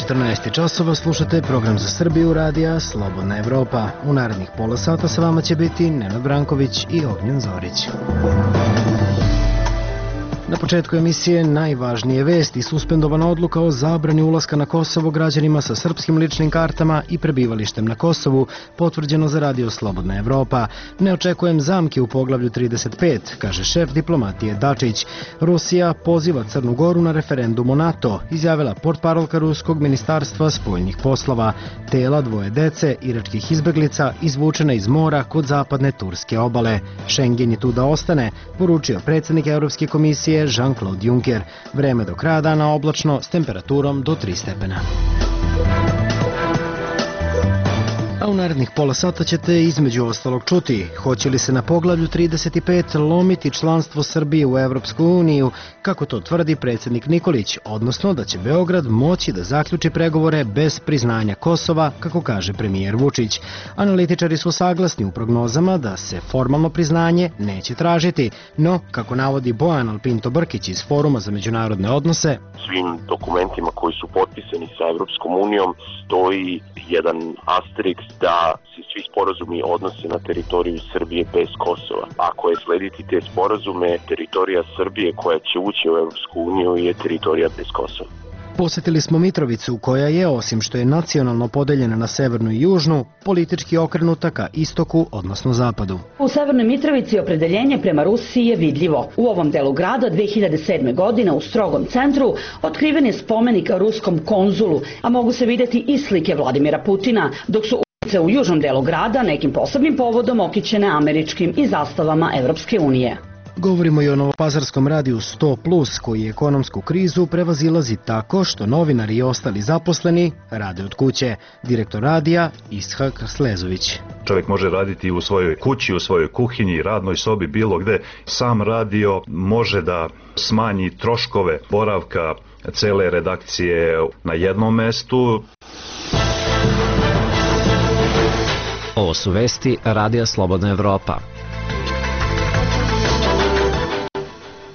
14 časova slušate program za Srbiju radija Slobodna Evropa. U narednih pola sata sa vama će biti Nenad Branković i Ognjen Zorić. Na početku emisije najvažnije vesti: suspendovana odluka o zabrani ulaska na Kosovo građanima sa srpskim ličnim kartama i prebivalištem na Kosovu, potvrđeno za radio Slobodna Evropa. Ne očekujem zamke u poglavlju 35, kaže šef diplomatije Dačić. Rusija poziva Crnu Goru na referendum o NATO, izjavila portparolka Ruskog ministarstva spoljnih poslova. Tela dvoje dece iračkih izbeglica izvučena iz mora kod zapadne turske obale. Schengen je tu da ostane, poručio predsjednik Evropske komisije Jean-Claude Juncker. Vreme do kraja dana oblačno s temperaturom do 3 stepena. A u narednih pola sata ćete između ostalog čuti: hoće li se na poglavlju 35 lomiti članstvo Srbije u Evropsku uniju, kako to tvrdi predsjednik Nikolić, odnosno da će Beograd moći da zaključi pregovore bez priznanja Kosova, kako kaže premijer Vučić. Analitičari su saglasni u prognozama da se formalno priznanje neće tražiti, no, kako navodi Bojan Alpinto Brkić iz Foruma za međunarodne odnose, svim dokumentima koji su potpisani sa Evropskom unijom stoji jedan asteriks da se svi sporazumi odnose na teritoriju Srbije bez Kosova. Ako je slediti te sporazume, teritorija Srbije koja će ući u Evropsku uniju je teritorija bez Kosova. Posjetili smo Mitrovicu, koja je, osim što je nacionalno podeljena na severnu i južnu, politički okrenuta ka istoku, odnosno zapadu. U Severnoj Mitrovici opredeljenje prema Rusiji je vidljivo. U ovom delu grada 2007. godine u strogom centru otkriven je spomenik ruskom konzulu, a mogu se vidjeti i slike Vladimira Putina, dok su ulice u južnom delu grada nekim posebnim povodom okićene američkim i zastavama Evropske unije. Govorimo i o novopazarskom radiju 100+, koji ekonomsku krizu prevazilazi tako što novinari i ostali zaposleni rade od kuće. Direktor radija Ishak Slezović. Čovjek može raditi u svojoj kući, u svojoj kuhinji, radnoj sobi, bilo gde. Sam radio može da smanji troškove boravka cele redakcije na jednom mestu. Ovo su vesti Radija Slobodna Evropa.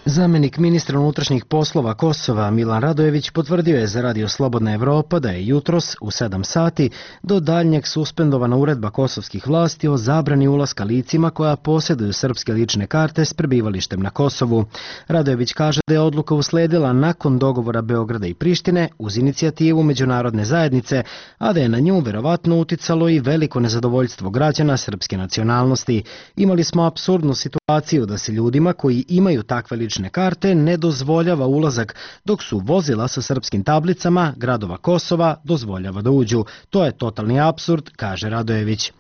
Zamenik ministra unutrašnjih poslova Kosova Milan Radojević potvrdio je za radio Slobodna Evropa da je jutros u 7 sati do daljnjeg suspendovana uredba kosovskih vlasti o zabrani ulaska licima koja posjeduju srpske lične karte s prebivalištem na Kosovu. Radojević kaže da je odluka usledila nakon dogovora Beograda i Prištine uz inicijativu međunarodne zajednice, a da je na nju verovatno uticalo i veliko nezadovoljstvo građana srpske nacionalnosti. Imali smo apsurdnu situaciju da se ljudima koji imaju takve lične karte ne dozvoljava ulazak, dok su vozila sa srpskim tablicama gradova Kosova dozvoljava da uđu. To je totalni apsurd, kaže Radojević.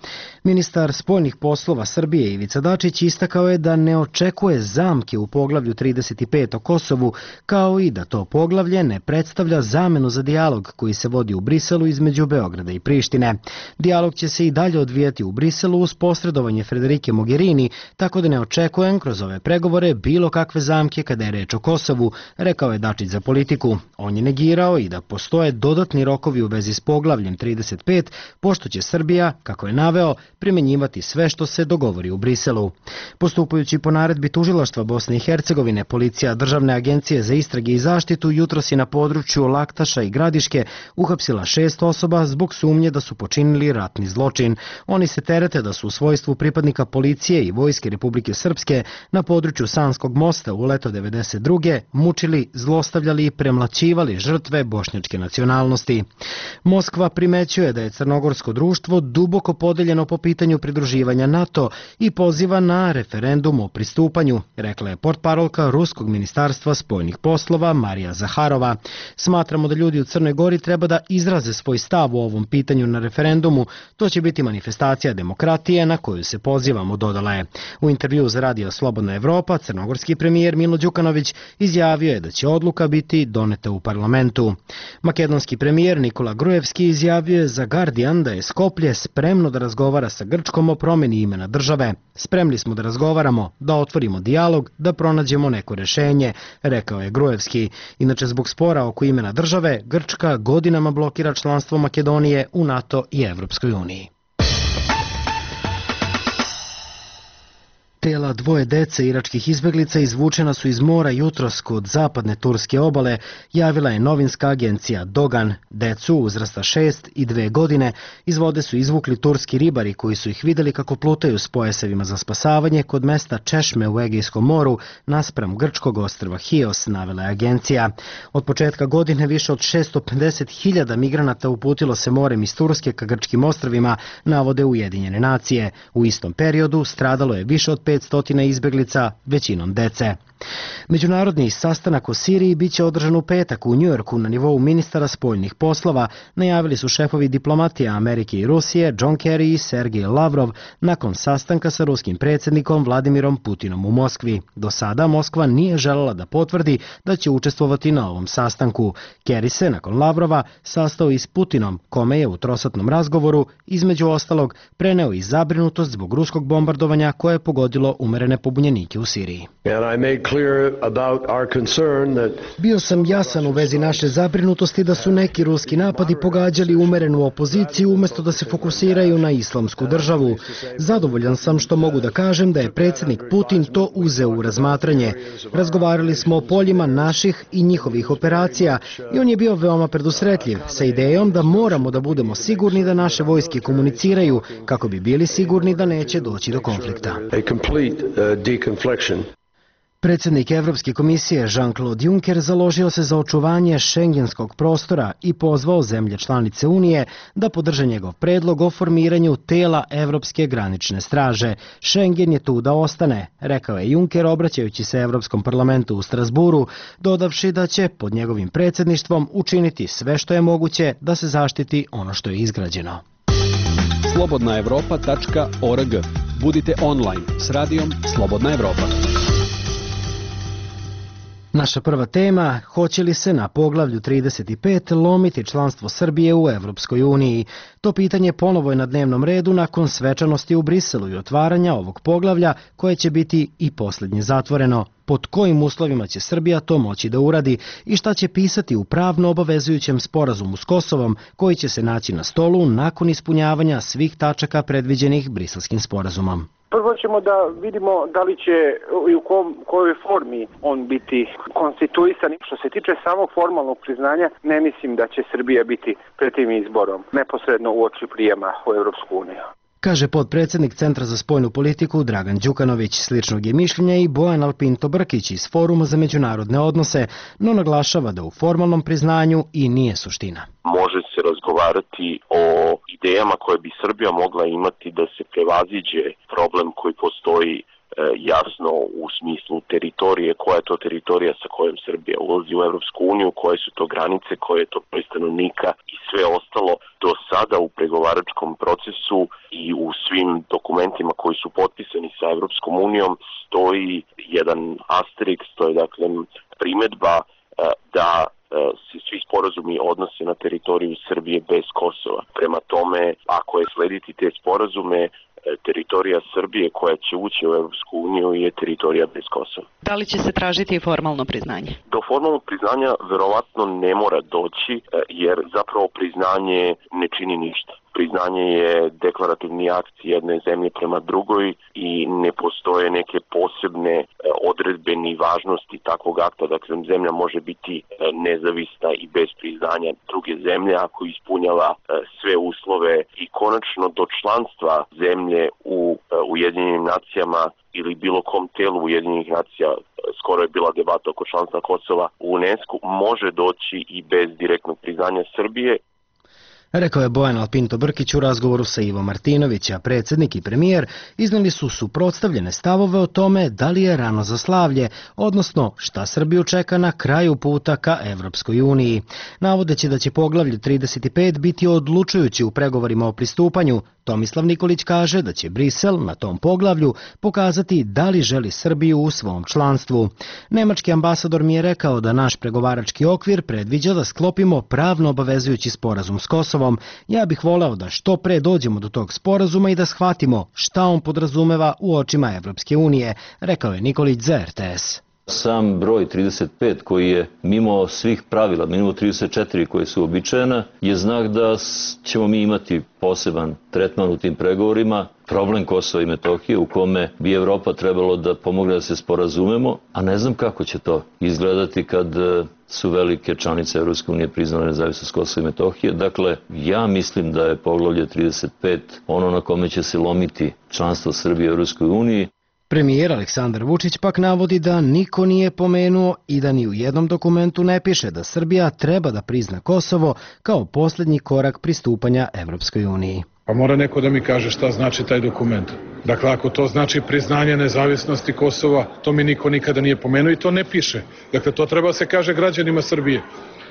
Ministar spoljnih poslova Srbije Ivica Dačić istakao je da ne očekuje zamke u poglavlju 35 o Kosovu, kao i da to poglavlje ne predstavlja zamenu za dijalog koji se vodi u Briselu između Beograda i Prištine. Dijalog će se i dalje odvijati u Briselu uz posredovanje Federike Mogherini, tako da ne očekujem kroz ove pregovore bilo kakve zamke kada je reč o Kosovu, rekao je Dačić za Politiku. On je negirao i da postoje dodatni rokovi u vezi s poglavljem 35, pošto će Srbija, kako je naveo, primjenjivati sve što se dogovori u Briselu. Postupajući po naredbi Tužilaštva Bosne i Hercegovine, policija Državne agencije za istrage i zaštitu jutros je na području Laktaša i Gradiške uhapsila 6 osoba zbog sumnje da su počinili ratni zločin. Oni se terete da su u svojstvu pripadnika policije i Vojske Republike Srpske na području Sanskog mosta u leto 92. mučili, zlostavljali i premlaćivali žrtve bošnjačke nacionalnosti. Moskva primećuje da je crnogorsko društvo duboko podeljeno po pitanju pridruživanja NATO i poziva na referendum o pristupanju, rekla je portparolka Ruskog ministarstva spoljnih poslova Marija Zaharova. Smatramo da ljudi u Crnoj Gori treba da izraze svoj stav u ovom pitanju na referendumu. To će biti manifestacija demokratije na koju se pozivamo, dodala je. U intervju za radio Slobodna Evropa, crnogorski premijer Milo Đukanović izjavio je da će odluka biti doneta u parlamentu. Makedonski premijer Nikola Grujevski izjavio je za Guardian da je Skoplje spremno da razgovara sa Grčkom o promjeni imena države. Spremni smo da razgovaramo, da otvorimo dijalog, da pronađemo neko rješenje, rekao je Grujevski. Inače, zbog spora oko imena države, Grčka godinama blokira članstvo Makedonije u NATO i Evropskoj uniji. Tela dvoje dece iračkih izbeglica izvučena su iz mora jutros kod zapadne turske obale, javila je novinska agencija Dogan. Decu uzrasta 6 i 2 godine iz vode su izvukli turski ribari koji su ih vidjeli kako plutaju s pojasevima za spasavanje kod mesta Češme u Egejskom moru naspram grčkog ostrva Hios, navela je agencija. Od početka godine više od 650.000 migranata uputilo se morem iz Turske ka grčkim ostrvima, navode Ujedinjene nacije. U istom periodu stradalo je više od 500 izbeglica, većinom dece. Međunarodni sastanak o Siriji biće održan u petak u Njujorku na nivou ministara spoljnih poslova, najavili su šefovi diplomatija Amerike i Rusije John Kerry i Sergej Lavrov nakon sastanka sa ruskim predsjednikom Vladimirom Putinom u Moskvi. Do sada Moskva nije željela da potvrdi da će učestvovati na ovom sastanku. Kerry se nakon Lavrova sastao i s Putinom, kome je u trosatnom razgovoru između ostalog preneo i zabrinutost zbog ruskog bombardovanja koje je pogodilo umerene pobunjenike u Siriji. Bio sam jasan u vezi naše zabrinutosti da su neki ruski napadi pogađali umerenu opoziciju umjesto da se fokusiraju na islamsku državu. Zadovoljan sam što mogu da kažem da je predsjednik Putin to uzeo u razmatranje. Razgovarali smo o poljima naših i njihovih operacija i on je bio veoma predusretljiv sa idejom da moramo da budemo sigurni da naše vojske komuniciraju kako bi bili sigurni da neće doći do konflikta. Predsjednik Evropske komisije Jean-Claude Juncker založio se za očuvanje šengenskog prostora i pozvao zemlje članice Unije da podrže njegov predlog o formiranju tela Evropske granične straže. Schengen je tu da ostane, rekao je Juncker obraćajući se Evropskom parlamentu u Strasburu, dodavši da će pod njegovim predsjedništvom učiniti sve što je moguće da se zaštiti ono što je izgrađeno. slobodnaevropa.org. Budite online s radijom Slobodna Evropa. Naša prva tema, hoće li se na poglavlju 35 lomiti članstvo Srbije u Evropskoj uniji? To pitanje ponovo je na dnevnom redu nakon svečanosti u Briselu i otvaranja ovog poglavlja koje će biti i posljednje zatvoreno. Pod kojim uslovima će Srbija to moći da uradi i šta će pisati u pravno obavezujućem sporazumu s Kosovom koji će se naći na stolu nakon ispunjavanja svih tačaka predviđenih Briselskim sporazumom. Prvo ćemo da vidimo da li će i u kojoj formi on biti konstituisan. Što se tiče samog formalnog priznanja, ne mislim da će Srbija biti pred tim izborom neposredno uoči prijema u Evropsku uniju. Kaže potpredsjednik Centra za spoljnu politiku Dragan Đukanović. Sličnog je mišljenja i Bojan Alpinto Brkić iz Foruma za međunarodne odnose, no naglašava da u formalnom priznanju i nije suština. Može se razgovarati o idejama koje bi Srbija mogla imati da se prevaziđe problem koji postoji jasno u smislu teritorije, koja je to teritorija sa kojom Srbija ulazi u Evropsku uniju, koje su to granice, koje je to broj stanovnika i sve ostalo. Do sada u pregovaračkom procesu i u svim dokumentima koji su potpisani sa Evropskom unijom stoji jedan asteriks, to je dakle primedba da se svi sporazumi odnose na teritoriju Srbije bez Kosova. Prema tome, ako je slediti te sporazume, teritorija Srbije koja će ući u Evropsku uniju je teritorija bez Kosova. Da li će se tražiti i formalno priznanje? Do formalnog priznanja verovatno ne mora doći, jer zapravo priznanje ne čini ništa. Priznanje je deklarativni akt jedne zemlje prema drugoj i ne postoje neke posebne odredbe ni važnosti takvog akta. Dakle, zemlja može biti nezavisna i bez priznanja druge zemlje ako ispunjava sve uslove i konačno do članstva zemlje u Ujedinjenim nacijama ili bilo kom telu Ujedinjenih nacija, skoro je bila debata oko članstva Kosova u UNESCO, može doći i bez direktnog priznanja Srbije. Rekao je Bojan Alpinto Brkić u razgovoru sa Ivo Martinović, a predsjednik i premijer iznijeli su suprotstavljene stavove o tome da li je rano za slavlje, odnosno šta Srbiju čeka na kraju puta ka Evropskoj uniji. Navodeći da će poglavlje 35 biti odlučujući u pregovorima o pristupanju, Tomislav Nikolić kaže da će Brisel na tom poglavlju pokazati da li želi Srbiju u svom članstvu. Nemački ambasador mi je rekao da naš pregovarački okvir predviđa da sklopimo pravno obavezujući sporazum s Kosovom. Ja bih voleo da što pre dođemo do tog sporazuma i da shvatimo šta on podrazumeva u očima Evropske unije, rekao je Nikolić za RTS. Sam broj 35 koji je mimo svih pravila, mimo 34 koje su običajena, je znak da ćemo mi imati poseban tretman u tim pregovorima, problem Kosova i Metohije u kome bi Evropa trebalo da pomogne da se sporazumemo, a ne znam kako će to izgledati kad su velike članice Evropske unije priznale nezavisnost Kosova i Metohije. Dakle, ja mislim da je poglavlje 35 ono na kome će se lomiti članstvo Srbije u Evropskoj uniji. Premijer Aleksandar Vučić pak navodi da niko nije pomenuo i da ni u jednom dokumentu ne piše da Srbija treba da prizna Kosovo kao posljednji korak pristupanja Evropskoj uniji. Pa mora neko da mi kaže šta znači taj dokument. Dakle, ako to znači priznanje nezavisnosti Kosova, to mi niko nikada nije pomenuo i to ne piše. Dakle, to treba se kaže građanima Srbije.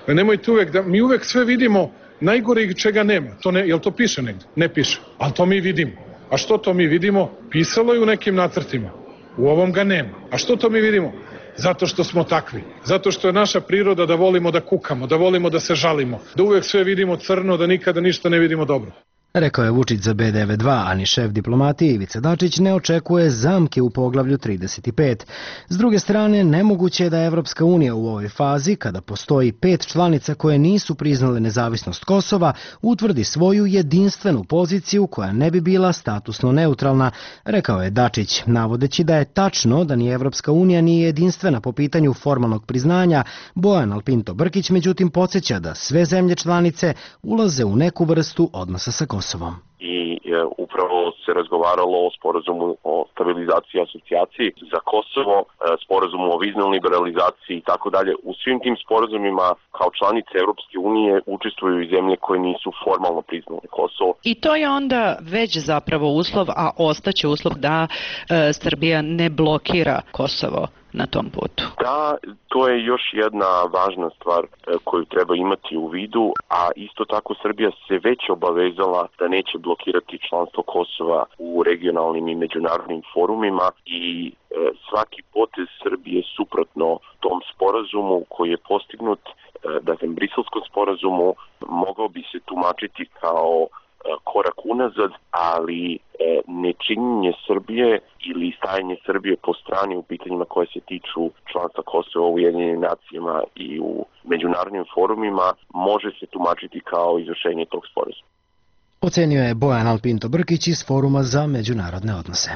Nemojte uvek da, mi uvek sve vidimo najgore čega nema. Jel to piše negdje? Ne piše, ali to mi vidimo. A što to mi vidimo? Pisalo je u nekim nacrtima. U ovom ga nema. A što to mi vidimo? Zato što smo takvi. Zato što je naša priroda da volimo da kukamo, da volimo da se žalimo, da uvek sve vidimo crno, da nikada ništa ne vidimo dobro. Rekao je Vučić za B92, a ni šef diplomatije Ivica Dačić ne očekuje zamke u poglavlju 35. S druge strane, nemoguće je da Evropska unija u ovoj fazi, kada postoji 5 članica koje nisu priznale nezavisnost Kosova, utvrdi svoju jedinstvenu poziciju koja ne bi bila statusno neutralna, rekao je Dačić, navodeći da je tačno da ni Evropska unija nije jedinstvena po pitanju formalnog priznanja. Bojan Alpinto Brkić međutim podsjeća da sve zemlje članice ulaze u neku vrstu odnosa sa Kosovom. I upravo se razgovaralo o sporazumu o stabilizaciji i asocijaciji za Kosovo, sporazumu o viznoj liberalizaciji i tako dalje. U svim tim sporazumima kao članice Evropske unije učestvuju i zemlje koje nisu formalno priznale Kosovo. I to je onda već zapravo uslov, a ostaće uslov da Srbija ne blokira Kosovo na tom putu. Da, to je još jedna važna stvar koju treba imati u vidu, a isto tako Srbija se već obavezala da neće blokirati članstvo Kosova u regionalnim i međunarodnim forumima i svaki potez Srbije suprotno tom sporazumu koji je postignut, dakle Briselskom sporazumu, mogao bi se tumačiti kao korak unazad, ali nečinjenje Srbije ili stajanje Srbije po strani u pitanjima koje se tiču članstva Kosova u Ujedinjenim nacijama i u međunarodnim forumima može se tumačiti kao izvršenje tog sporazuma. Ocenio je Bojan Alpinto Brkić iz Foruma za međunarodne odnose.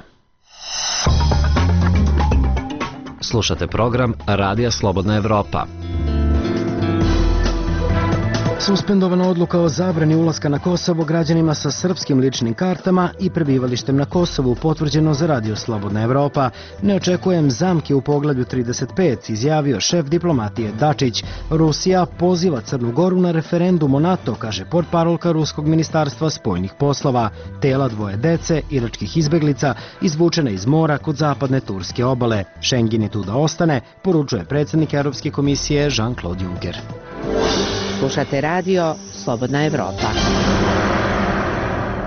Slušate program Radija Slobodna Evropa. Suspendovana odluka o zabrani ulaska na Kosovo građanima sa srpskim ličnim kartama i prebivalištem na Kosovu potvrđeno za Radio Slobodna Evropa. Ne očekujem zamke u poglavlju 35, izjavio šef diplomatije Dačić. Rusija poziva Crnu Goru na referendum o NATO, kaže portparolka Ruskog ministarstva spoljnih poslova. Tela dvoje dece, iračkih izbeglica, izvučene iz mora kod zapadne turske obale. Schengen je tu da ostane, poručuje predsjednik Europske komisije Jean-Claude Juncker. Slušate radio Slobodna Evropa.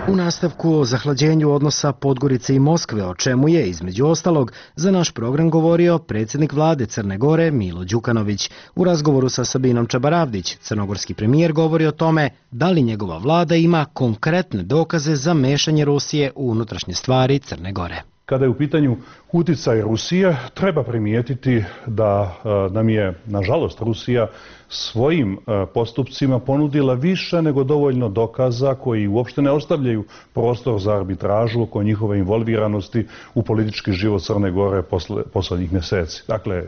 U nastavku o zahlađenju odnosa Podgorice i Moskve, o čemu je, između ostalog, za naš program govorio predsjednik vlade Crne Gore Milo Đukanović. U razgovoru sa Sabinom Čabaravdić, crnogorski premijer govori o tome da li njegova vlada ima konkretne dokaze za mešanje Rusije u unutrašnje stvari Crne Gore. Kada je u pitanju uticaj Rusije, treba primijetiti da nam je, nažalost, Rusija svojim postupcima ponudila više nego dovoljno dokaza koji uopšte ne ostavljaju prostor za arbitražu oko njihove involviranosti u politički život Crne Gore poslednjih mjeseci. Dakle,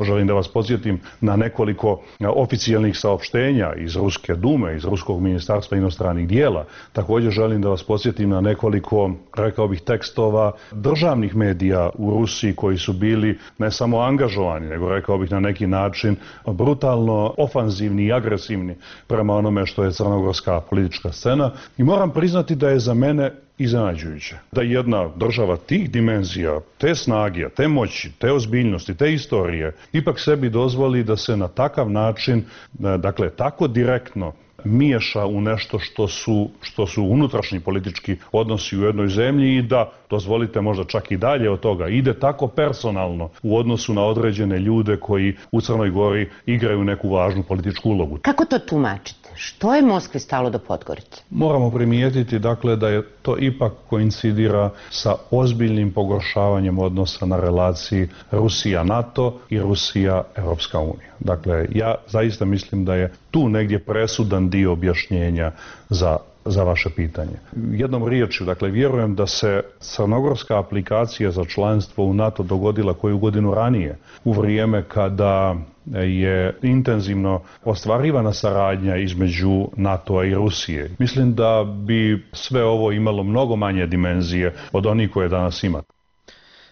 želim da vas podsjetim na nekoliko oficijalnih saopštenja iz Ruske dume, iz Ruskog ministarstva inostranih dijela. Također želim da vas podsjetim na nekoliko, rekao bih, tekstova državnih medija u Rusiji koji su bili ne samo angažovani, nego rekao bih na neki način brutalno ofanzivni i agresivni prema onome što je crnogorska politička scena. I moram priznati da je za mene iznenađujuće da jedna država tih dimenzija, te snage, te moći, te ozbiljnosti, te istorije, ipak sebi dozvoli da se na takav način, dakle tako direktno miješa u nešto što su unutrašnji politički odnosi u jednoj zemlji i da, dozvolite možda čak i dalje od toga, ide tako personalno u odnosu na određene ljude koji u Crnoj Gori igraju neku važnu političku ulogu. Kako to tumačite? Što je Moskvi stalo do Podgorice? Moramo primijetiti dakle da je to ipak koincidira sa ozbiljnim pogoršavanjem odnosa na relaciji Rusija-NATO i Rusija-Europska unija. Dakle, ja zaista mislim da je tu negdje presudan dio objašnjenja za vaše pitanje. Jednom riječju, dakle, vjerujem da se crnogorska aplikacija za članstvo u NATO dogodila koju godinu ranije, u vrijeme kada je intenzivno ostvarivana saradnja između NATO-a i Rusije. Mislim da bi sve ovo imalo mnogo manje dimenzije od onih koje danas ima.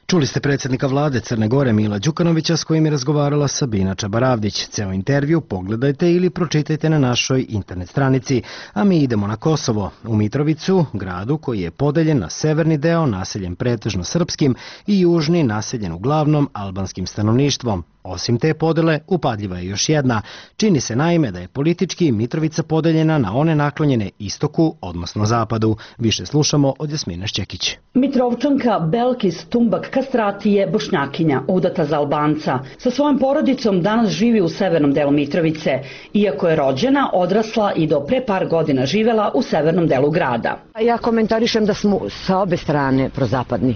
Čuli ste predsjednika vlade Crne Gore Mila Đukanovića s kojim je razgovarala Sabina Čabaravdić. Ceo intervju pogledajte ili pročitajte na našoj internet stranici. A mi idemo na Kosovo, u Mitrovicu, gradu koji je podeljen na severni deo naseljen pretežno srpskim i južni naseljen uglavnom albanskim stanovništvom. Osim te podele, upadljiva je još jedna. Čini se naime da je politički Mitrovica podeljena na one naklonjene istoku, odnosno zapadu. Više slušamo od Jasmine Šćekić. Mitrovčanka Belkis Tumbak Kastrati je Bošnjakinja, udata za Albanca. Sa svojom porodicom danas živi u severnom delu Mitrovice. Iako je rođena, odrasla i do pre par godina živela u severnom delu grada. Ja komentarišem da smo sa obe strane prozapadni.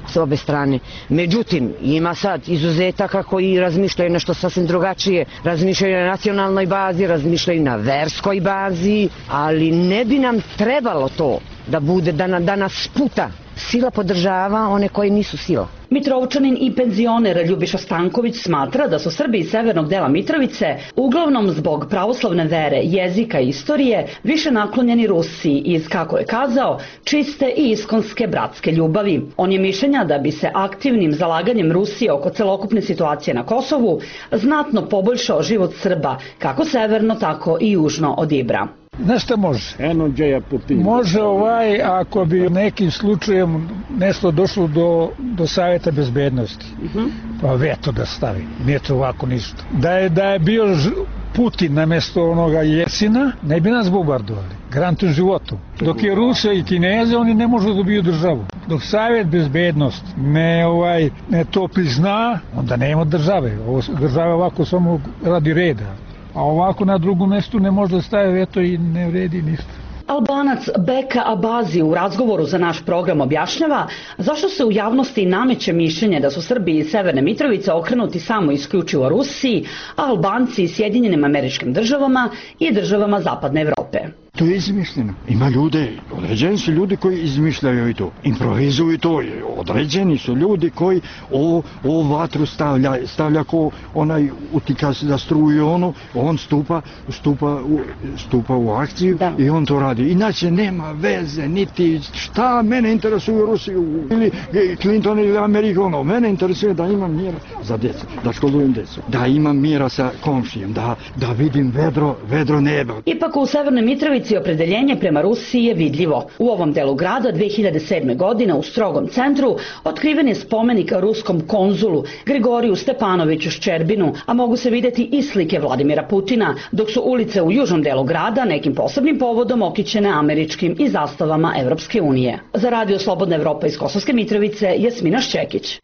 S obe strane. Međutim, ima sad izuzetaka koji razmišljaju nešto sasvim drugačije. Razmišljaju na nacionalnoj bazi, razmišljaju na verskoj bazi, ali ne bi nam trebalo to da bude, da nas sputa. Sila podržava one koji nisu sila. Mitrovčanin i penzioner Ljubiša Stanković smatra da su Srbi iz severnog dela Mitrovice, uglavnom zbog pravoslavne vere, jezika i istorije, više naklonjeni Rusiji iz, kako je kazao, čiste i iskonske bratske ljubavi. On je mišljenja da bi se aktivnim zalaganjem Rusije oko celokupne situacije na Kosovu znatno poboljšao život Srba, kako severno, tako i južno od Ibra. Nešto može. Može ako bi nekim slučajem nešto došlo do Savjeta bezbednosti. Pa veto da stavi. Nije to ovako ništa. Da je bio Putin namjesto onoga Jesina, ne bi nas bombardovali. Garantujem životu. Dok je Rusija i Kineze, oni ne možu dobiju državu. Dok Savjet bezbednosti ne to prizna, onda nema države. Država ovako samo radi reda. A ovako na drugom mjestu ne može da staje veto i ne vredi ništa. Albanac Beka Abazi u razgovoru za naš program objašnjava zašto se u javnosti nameće mišljenje da su Srbi iz Severne Mitrovice okrenuti samo isključivo Rusiji, a Albanci iz Sjedinjenim Američkim Državama i državama Zapadne Evrope. To je izmišljeno. Ima ljude, određeni su ljudi koji izmišljaju i to, improvizuju to. Određeni su ljudi koji ovu vatru stavlja ko onaj utika za struju on stupa u akciju i on to radi. Inače nema veze, niti šta mene interesuje Rusiju ili Clinton ili Amerika, mene interesuje da imam mira za djecu, da školujem djecu, da imam mira sa komšijem, da vidim vedro neba. Ipak u Severnoj Mitrovici opredeljenje prema Rusiji je vidljivo. U ovom delu grada 2007. godine u strogom centru otkriven je spomenik ruskom konzulu Grigoriju Stepanoviću Ščerbinu, a mogu se vidjeti i slike Vladimira Putina, dok su ulice u južnom delu grada nekim posebnim povodom okićene američkim i zastavama Evropske unije. Za Radio Slobodna Evropa iz Kosovske Mitrovice, Jasmina Šćekić.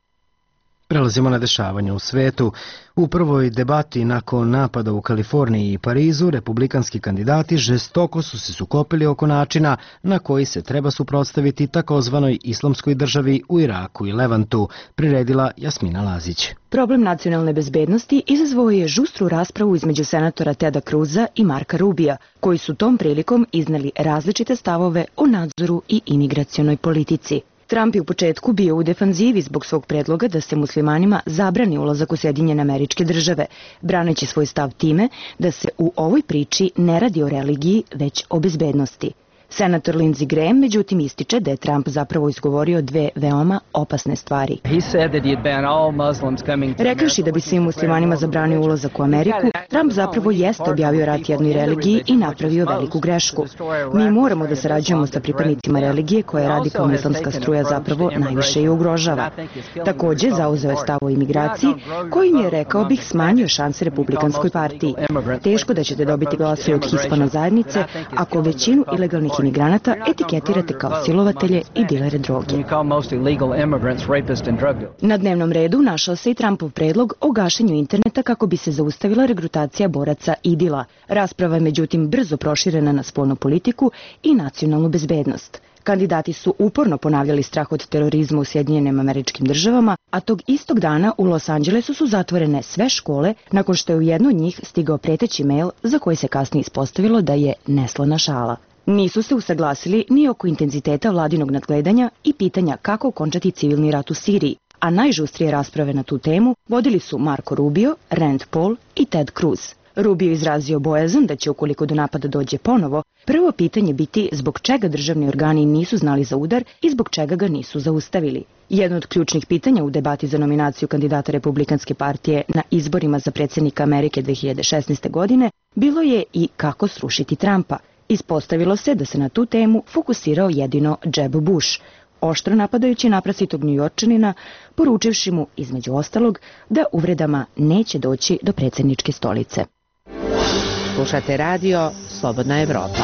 Prelazimo na dešavanje u svetu. U prvoj debati nakon napada u Kaliforniji i Parizu, republikanski kandidati žestoko su se sukobili oko načina na koji se treba suprotstaviti takozvanoj islamskoj državi u Iraku i Levantu, priredila Jasmina Lazić. Problem nacionalne bezbednosti izazvao je žustru raspravu između senatora Teda Cruza i Marka Rubija, koji su tom prilikom izneli različite stavove o nadzoru i imigracionoj politici. Trump je u početku bio u defanzivi zbog svog predloga da se muslimanima zabrani ulazak u Sjedinjene Američke Države, braneći svoj stav time da se u ovoj priči ne radi o religiji, već o bezbednosti. Senator Lindsey Graham međutim ističe da je Trump zapravo izgovorio dve veoma opasne stvari. Rekavši da bi svim muslimanima zabranio ulazak u Ameriku, Trump zapravo jeste objavio rat jednoj religiji i napravio veliku grešku. Mi moramo da sarađujemo sa pripadnicima religije koje radikalna islamska struja zapravo najviše i ugrožava. Takođe, zauzeo je stav o imigraciji, kojim je, rekao bih, smanjio šanse Republikanskoj partiji. Teško da ćete dobiti glasove od Hispano zajednice ako većinu ilegalnih imigranata etiketirate kao silovatelje i dilere droge. Na dnevnom redu našao se i Trumpov predlog o gašenju interneta kako bi se zaustavila regrutacija boraca IDIL-a. Rasprava je međutim brzo proširena na spoljnu politiku i nacionalnu bezbednost. Kandidati su uporno ponavljali strah od terorizma u Sjedinjenim Američkim Državama, a tog istog dana u Los Angelesu su zatvorene sve škole nakon što je u jednu od njih stigao preteći mail za koji se kasnije ispostavilo da je neslana šala. Nisu se usaglasili ni oko intenziteta vladinog nadgledanja i pitanja kako okončati civilni rat u Siriji, a najžustrije rasprave na tu temu vodili su Marco Rubio, Rand Paul i Ted Cruz. Rubio izrazio bojazan da će, ukoliko do napada dođe ponovo, prvo pitanje biti zbog čega državni organi nisu znali za udar i zbog čega ga nisu zaustavili. Jedno od ključnih pitanja u debati za nominaciju kandidata Republikanske partije na izborima za predsjednika Amerike 2016. godine bilo je i kako srušiti Trumpa. Ispostavilo se da se na tu temu fokusirao jedino Jeb Bush, oštro napadajući naprasitog Njujorčanina, poručivši mu, između ostalog, da uvredama neće doći do predsjedničke stolice. Slušate radio Slobodna Evropa.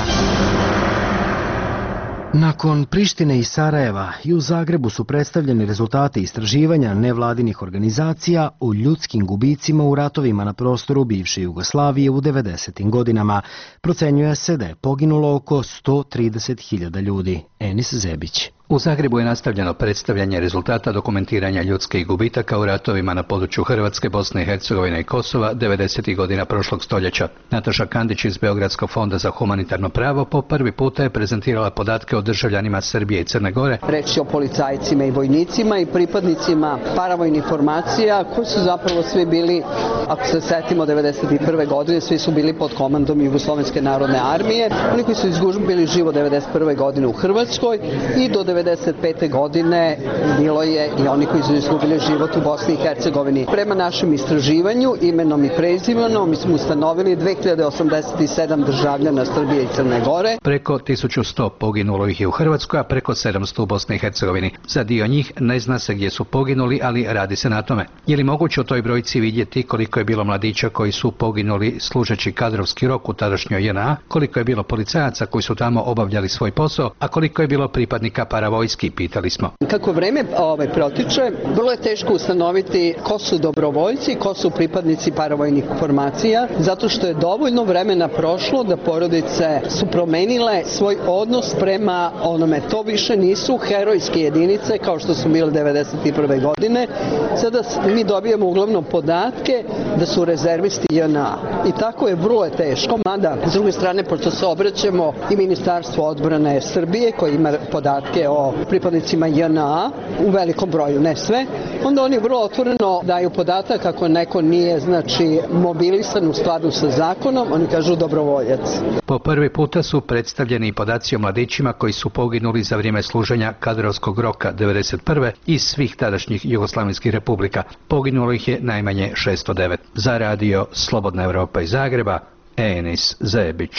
Nakon Prištine i Sarajeva i u Zagrebu su predstavljeni rezultati istraživanja nevladinih organizacija o ljudskim gubicima u ratovima na prostoru bivše Jugoslavije u 90. godinama. Procenjuje se da je poginulo oko 130.000 ljudi. Enis Zebić. U Zagrebu je nastavljeno predstavljanje rezultata dokumentiranja ljudskih gubitaka u ratovima na području Hrvatske, Bosne i Hercegovine i Kosova 90. godina prošlog stoljeća. Nataša Kandić iz Beogradskog fonda za humanitarno pravo po prvi puta je prezentirala podatke o državljanima Srbije i Crne Gore. Reč je o policajcima i vojnicima i pripadnicima paravojnih formacija koji su zapravo svi bili, ako se setimo 91. godine, svi su bili pod komandom Jugoslovenske narodne armije. Oni koji su izgubili život 91. godine u Hrvatskoj i do 1995. godine bilo je i oni koji su izgubili život u Bosni i Hercegovini. Prema našem istraživanju, imenom i prezimenom, mi smo ustanovili 2087 državljana Srbije i Crne Gore. Preko 1100 poginulo ih je u Hrvatskoj, a preko 700 u Bosni i Hercegovini. Za dio njih ne zna se gdje su poginuli, ali radi se na tome. Je li moguće u toj brojci vidjeti koliko je bilo mladića koji su poginuli služeći kadrovski rok u tadašnjoj JNA, koliko je bilo policajaca koji su tamo obavljali svoj posao, a koliko je bilo pripadnika paravojski, pitali smo. Kako vreme protiče, vrlo je teško ustanoviti ko su dobrovoljci, ko su pripadnici paravojnih formacija, zato što je dovoljno vremena prošlo da porodice su promenile svoj odnos prema onome. To više nisu herojske jedinice kao što su bile 91. godine. Sada mi dobijemo uglavnom podatke da su rezervisti JNA. I tako je vrlo teško, mada s druge strane, pošto se obraćamo i Ministarstvo odbrane Srbije koji ima podatke o pripadnicima JNA u velikom broju, ne sve, onda oni vrlo otvoreno daju podatak ako neko nije, mobilisan u skladu sa zakonom, oni kažu dobrovoljac. Po prvi puta su predstavljeni i podaci o mladićima koji su poginuli za vrijeme služenja kadrovskog roka 1991. iz svih tadašnjih jugoslavenskih republika. Poginulo ih je najmanje 609. Za radio Slobodna Evropa iz Zagreba, Enis Zebić.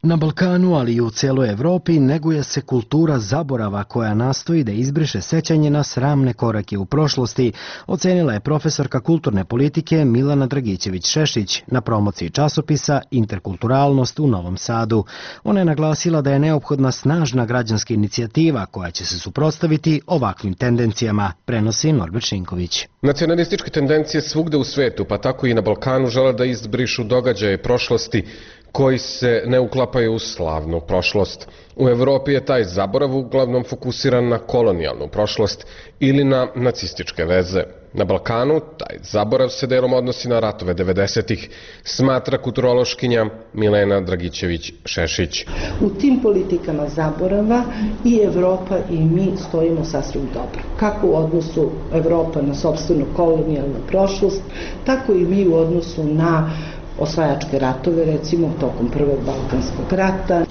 Na Balkanu, ali i u cijeloj Evropi, neguje se kultura zaborava koja nastoji da izbriše sećanje na sramne korake u prošlosti, ocenila je profesorka kulturne politike Milana Dragićević-Šešić na promociji časopisa Interkulturalnost u Novom Sadu. Ona je naglasila da je neophodna snažna građanska inicijativa koja će se suprotstaviti ovakvim tendencijama, prenosi Norbert Šinković. Nacionalističke tendencije svugde u svetu, pa tako i na Balkanu, žele da izbrišu događaje prošlosti koji se ne uklapaju u slavnu prošlost. U Evropi je taj zaborav uglavnom fokusiran na kolonijalnu prošlost ili na nacističke veze. Na Balkanu taj zaborav se delom odnosi na ratove 90-ih, smatra kulturološkinja Milena Dragićević-Šešić. U tim politikama zaborava i Evropa i mi stojimo sasvim dobro. Kako u odnosu Evropa na sopstvenu kolonijalnu prošlost, tako i mi u odnosu na osvajačke ratove, recimo tokom Prvog Balkanskog rata,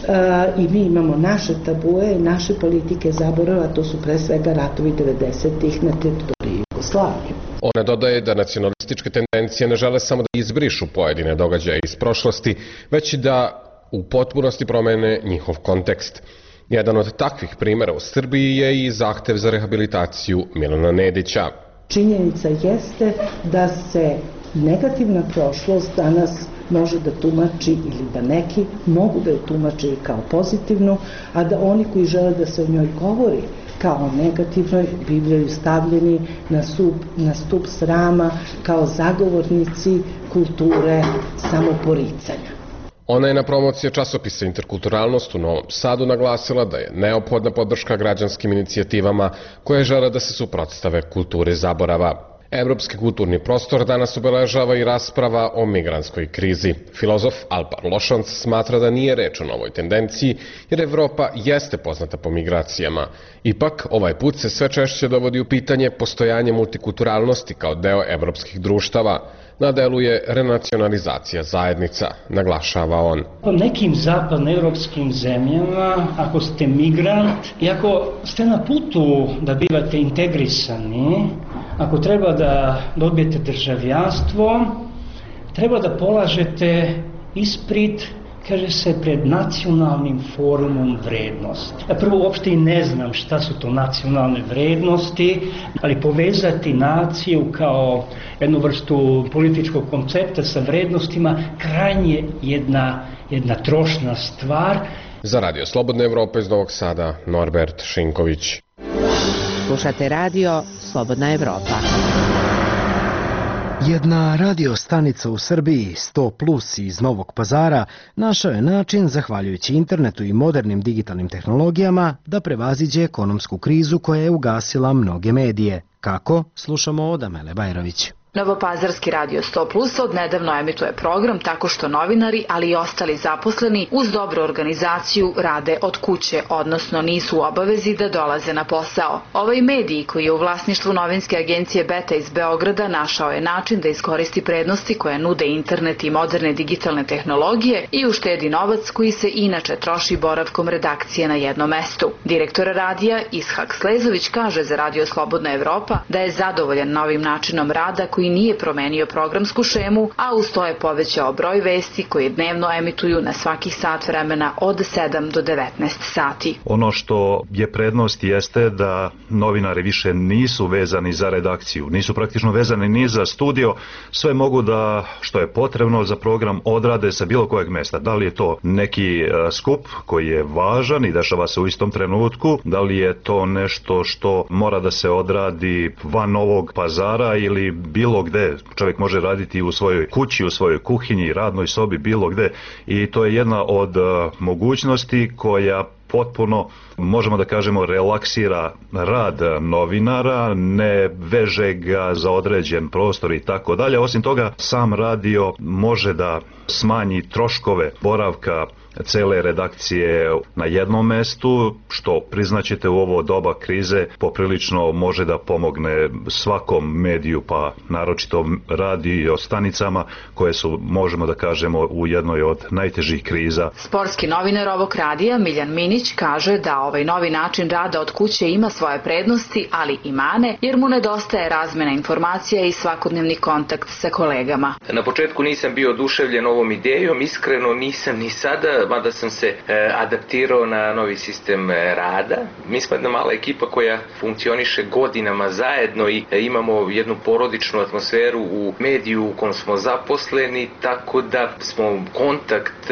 i mi imamo naše tabue i naše politike zaborava, to su pre svega ratovi 90-ih na teritoriji Jugoslavije. Ona dodaje da nacionalističke tendencije ne žele samo da izbrišu pojedine događaje iz prošlosti, već i da u potpunosti promene njihov kontekst. Jedan od takvih primjera u Srbiji je i zahtev za rehabilitaciju Milana Nedića. Činjenica jeste da se negativna prošlost danas može da tumači ili da neki mogu da je tumače kao pozitivnu, a da oni koji žele da se o njoj govori kao negativnoj bivaju stavljeni na stup srama kao zagovornici kulture samoporicanja. Ona je na promociji časopisa Interkulturalnost u Novom Sadu naglasila da je neophodna podrška građanskim inicijativama koje žele da se suprotstave kulturi zaborava. Evropski kulturni prostor danas obeležava i rasprava o migrantskoj krizi. Filozof Alpar Lošanc smatra da nije reč o novoj tendenciji, jer Evropa jeste poznata po migracijama. Ipak, ovaj put se sve češće dovodi u pitanje postojanje multikulturalnosti kao deo evropskih društava. Na delu je renacionalizacija zajednica, naglašava on. Po nekim zapadnoevropskim zemljama, ako ste migrant i ako ste na putu da bivate integrisani, ako treba da dobijete državljanstvo, treba da polažete ispit, kaže se, pred nacionalnim forumom vrednosti. Ja prvo uopšte i ne znam šta su to nacionalne vrednosti, ali povezati naciju kao jednu vrstu političkog koncepta sa vrednostima krajnje jedna trošna stvar. Za Radio Slobodna Evropa iz Novog Sada, Norbert Šinković. Slušate radio Slobodna Evropa. Jedna radio stanica u Srbiji, 100 Plus iz Novog Pazara, našao je način, zahvaljujući internetu i modernim digitalnim tehnologijama, da prevaziđe ekonomsku krizu koja je ugasila mnoge medije. Kako? Slušamo od Amele Bajrović. Novopazarski radio 100 Plus odnedavno emituje program tako što novinari, ali i ostali zaposleni uz dobru organizaciju rade od kuće, odnosno nisu u obavezi da dolaze na posao. Ovaj medij, koji je u vlasništvu novinske agencije Beta iz Beograda, našao je način da iskoristi prednosti koje nude internet i moderne digitalne tehnologije i uštedi novac koji se inače troši boravkom redakcije na jednom mestu. Direktor radija Ishak Slezović kaže za Radio Slobodna Evropa da je zadovoljan novim načinom rada koji nije promenio programsku šemu, a uz to je povećao broj vesti koje dnevno emituju na svakih sat vremena od 7 do 19 sati. Ono što je prednost jeste da novinari više nisu vezani za redakciju, nisu praktično vezani ni za studio, sve mogu da, što je potrebno za program, odrade sa bilo kojeg mesta. Da li je to neki skup koji je važan i dešava se u istom trenutku, da li je to nešto što mora da se odradi van Novog Pazara ili bilo gde. Čovjek može raditi u svojoj kući, u svojoj kuhinji, radnoj sobi, bilo gde, i to je jedna od mogućnosti koja potpuno, možemo da kažemo, relaksira rad novinara, ne veže ga za određen prostor i tako dalje. Osim toga, sam radio može da smanji troškove boravka cele redakcije na jednom mestu, što, priznaćete, u ovo doba krize poprilično može da pomogne svakom mediju, pa naročito radio stanicama koje su, možemo da kažemo, u jednoj od najtežih kriza. Sportski novinar ovog radija Miljan Minić kaže da ovaj novi način rada od kuće ima svoje prednosti, ali i mane, jer mu nedostaje razmena informacija i svakodnevni kontakt sa kolegama. Na početku nisam bio oduševljen ovom idejom, iskreno nisam ni sada, mada sam se adaptirao na novi sistem rada. Mi smo jedna mala ekipa koja funkcioniše godinama zajedno i imamo jednu porodičnu atmosferu u mediju u kojem smo zaposleni, tako da smo kontakt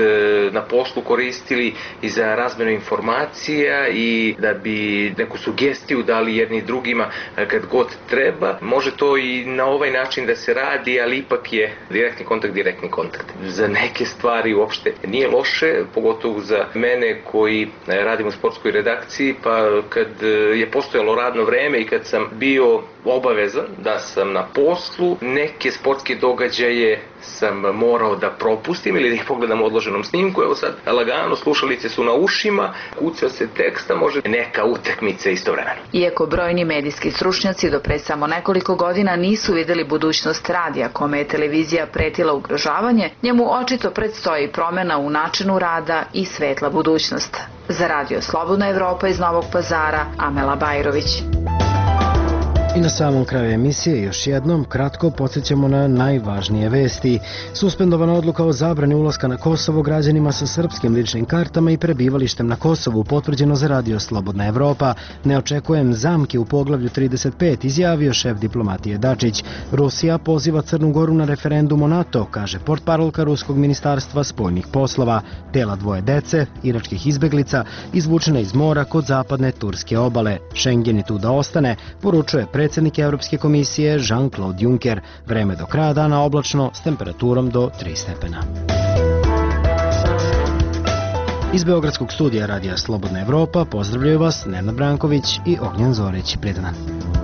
na poslu koristili i za razmenu informacija i da bi neku sugestiju dali jedni drugima kad god treba. Može to i na ovaj način da se radi, ali ipak je direktni kontakt. Za neke stvari uopšte nije loše, pogotovo za mene koji radim u sportskoj redakciji, pa kad je postojalo radno vreme i kad sam bio obavezan da sam na poslu, neke sportske događaje sam morao da propustim ili da ih pogledam u odloženom snimku. Evo sad lagano, slušalice su na ušima, kuca se teksta, može neka utakmica istovremeno. Iako brojni medijski stručnjaci do pre samo nekoliko godina nisu videli budućnost radija kome je televizija pretila ugrožavanje, njemu očito predstoji promena u načinu rada i svetla budućnost. Za Radio Slobodna Evropa iz Novog Pazara, Amela Bajrović. I na samom kraju emisije još jednom kratko podsjećamo na najvažnije vesti. Suspendovana odluka o zabrani ulaska na Kosovo građanima sa srpskim ličnim kartama i prebivalištem na Kosovu potvrđeno za Radio Slobodna Evropa. Ne očekujem zamke u poglavlju 35, izjavio šef diplomatije Dačić. Rusija poziva Crnu Goru na referendum o NATO, kaže portparolka Ruskog ministarstva spoljnih poslova. Tela dvoje dece, iračkih izbeglica, izvučene iz mora kod zapadne turske obale. Schengen je tu da ostane, poručuje predsjednik Europske komisije Jean-Claude Juncker. Vreme do kraja dana oblačno s temperaturom do 3 stepena. Iz Beogradskog studija Radija Slobodna Evropa pozdravljaju vas Nenad Branković i Ognjen Zorić. Prijetan dan.